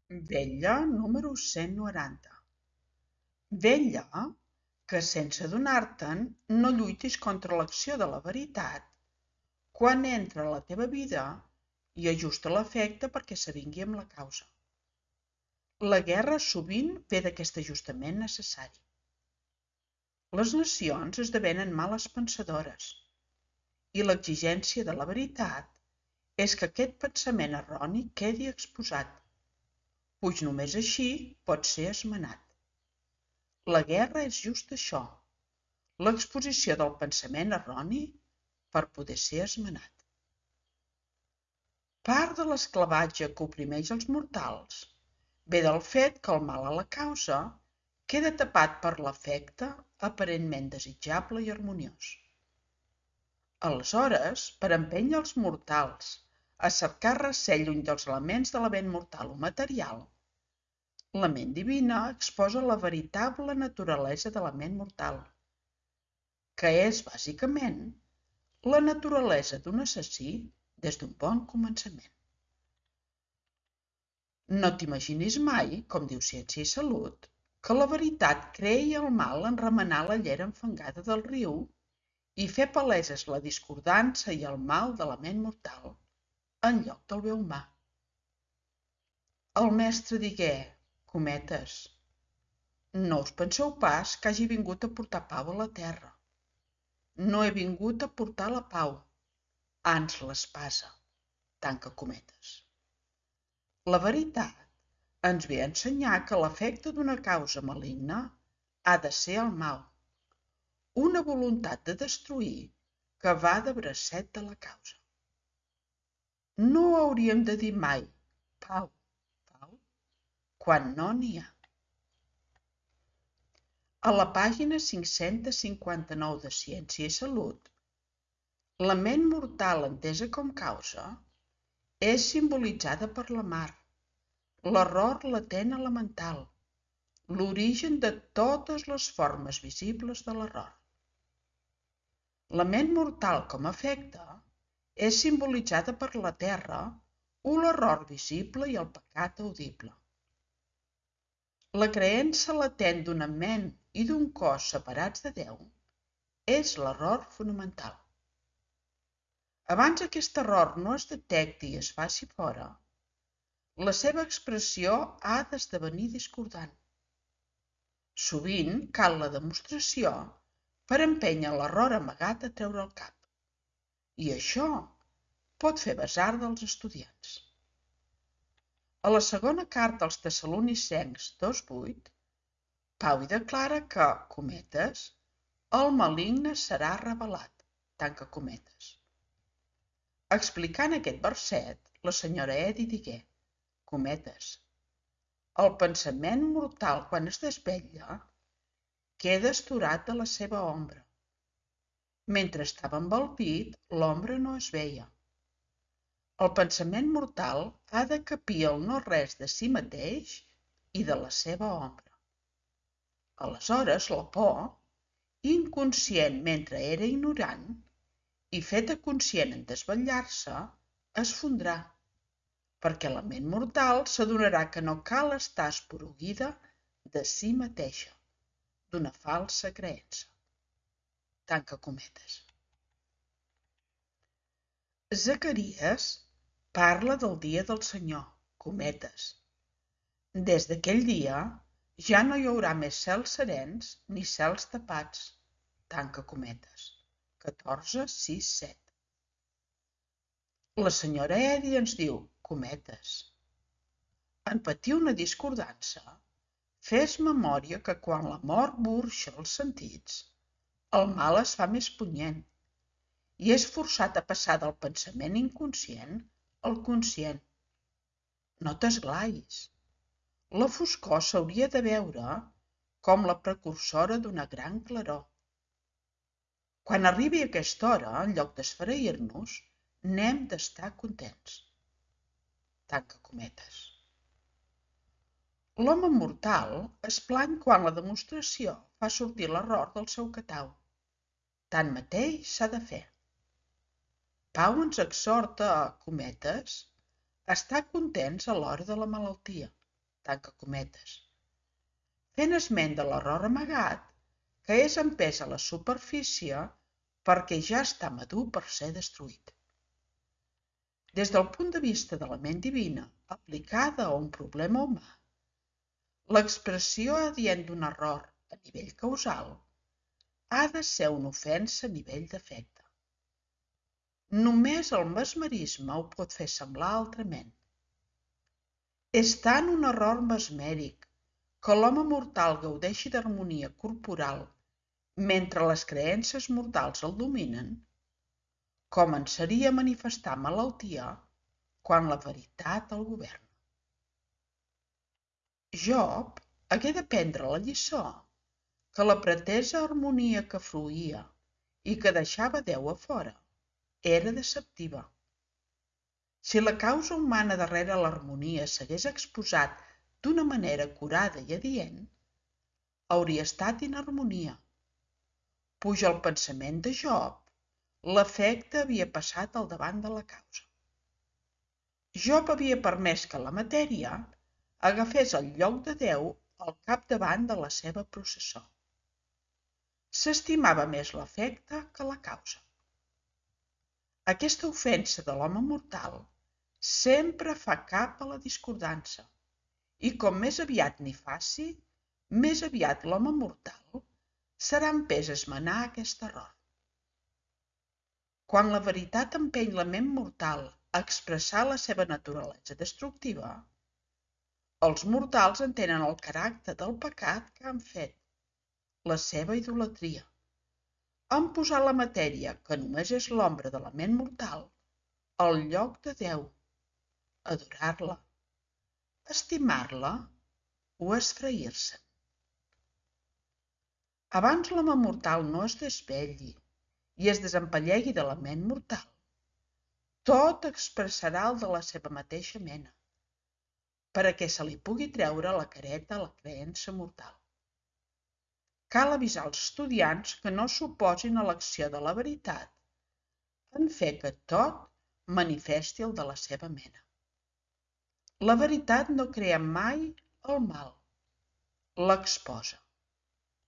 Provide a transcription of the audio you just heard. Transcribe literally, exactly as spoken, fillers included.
Vetlla número cent noranta. Vetlla que, sense adonar-te'n, no lluitis contra l'acció de la veritat quan entra a la teva vida i ajusta l'efecte perquè s'avingui amb la causa. La guerra sovint ve d'aquest ajustament necessari. Les nacions esdevenen males pensadores i l'exigència de la veritat és que aquest pensament erroni quedi exposat, puix només així pot ser esmenat. La guerra és just això, l'exposició del pensament erroni per poder ser esmenat. Part de l'esclavatge que oprimeix els mortals ve del fet que el mal a la causa queda tapat per l'efecte aparentment desitjable i harmoniós. Aleshores, per empènyer els mortals a cercar recel lluny dels elements de la ment mortal o material, la ment divina exposa la veritable naturalesa de la ment mortal, que és, bàsicament, la naturalesa d'un assassí des d'un bon començament. No t'imaginis mai, com diu Ciència i Salut, que la veritat creï el mal en remenar la llera enfangada del riu i fer paleses la discordança i el mal de la ment mortal en lloc del bé humà. El mestre digué, cometes, no us penseu pas que hagi vingut a portar pau a la terra. No he vingut a portar la pau, ans l'espasa, tanca cometes. La veritat ens ve a ensenyar que l'efecte d'una causa maligna ha de ser el mal, una voluntat de destruir que va de bracet de la causa. No hauríem de dir mai pau, pau, quan no n'hi ha. A la pàgina cinc-cents cinquanta-nou de Ciència i Salut, la ment mortal entesa com causa és simbolitzada per la mar, l'error latent elemental, l'origen de totes les formes visibles de l'error. La ment mortal com a efecte és simbolitzada per la terra o l'error visible i el pecat audible. La creença latent d'una ment i d'un cos separats de Déu és l'error fonamental. Abans aquest error no es detecti i es faci fora, la seva expressió ha d'esdevenir discordant. Sovint cal la demostració per empènyer l'error amagat a treure el cap. I això pot fer besar dels estudiants. A la segona carta als Tessalonicencs dos vuit, Pau hi declara que, cometes, el maligne serà revelat, tanca cometes. Explicant aquest verset, la senyora Edi digué, cometes, el pensament mortal quan es desvetlla queda estorat de la seva ombra. Mentre estava envelpit, l'ombra no es veia. El pensament mortal ha de capir el no-res de si mateix i de la seva ombra. Aleshores, la por, inconscient mentre era ignorant, i feta conscient en desvetllar-se, es fondrà, perquè la ment mortal s'adonarà que no cal estar esporuguida de si mateixa, d'una falsa creença. Tanca cometes. Zacaries parla del dia del Senyor, cometes. Des d'aquell dia ja no hi haurà més cels serens ni cels tapats, tanca cometes. catorze, sis, set. La senyora Edi ens diu, cometes. En patir una discordança, fes memòria que quan la mort burxa els sentits, el mal es fa més punyent i és forçat a passar del pensament inconscient al conscient. No t'esglais. La foscor s'hauria de veure com la precursora d'una gran claror. Quan arribi aquesta hora, en lloc d'esfereir-nos, n'hem d'estar contents. Tanca cometes. L'home mortal es plany quan la demostració fa sortir l'error del seu catau. Tanmateix s'ha de fer. Pau ens exhorta a, cometes, estar contents a l'hora de la malaltia. tanca cometes, fent esment de l'error amagat que és empès a la superfície perquè ja està madur per ser destruït. Des del punt de vista de la ment divina aplicada a un problema humà, l'expressió adient d'un error a nivell causal ha de ser una ofensa a nivell d'efecte. Només el mesmerisme ho pot fer semblar altrament. És tant un error mesmèric que l'home mortal gaudeixi d'harmonia corporal mentre les creences mortals el dominen, com en seria manifestar malaltia quan la veritat el governa. Job hagué d'aprendre la lliçó que la pretesa harmonia que fruïa i que deixava Déu a fora era deceptiva. Si la causa humana darrere l'harmonia s'hagués exposat d'una manera acurada i adient, hauria estat inharmonia. Puja el pensament de Job, l'efecte havia passat al davant de la causa. Job havia permès que la matèria agafés el lloc de Déu al capdavant de la seva processó. S'estimava més l'efecte que la causa. Aquesta ofensa de l'home mortal sempre fa cap a la discordança, i com més aviat n'hi faci, més aviat l'home mortal serà empès a esmenar aquest error. Quan la veritat empeny la ment mortal a expressar la seva naturalesa destructiva, els mortals entenen el caràcter del pecat que han fet, la seva idolatria. Han posat la matèria, que només és l'ombra de la ment mortal, al lloc de Déu, adorar-la, estimar-la o esfrair-se'n. Abans l'home mortal no es desvetlli i es desempallegui de la ment mortal, tot expressarà el de la seva mateixa mena, perquè se li pugui treure la careta a la creença mortal. Cal avisar als estudiants que no s'oposin a l'acció de la veritat en fer que tot manifesti el de la seva mena. La veritat no crea mai el mal, l'exposa.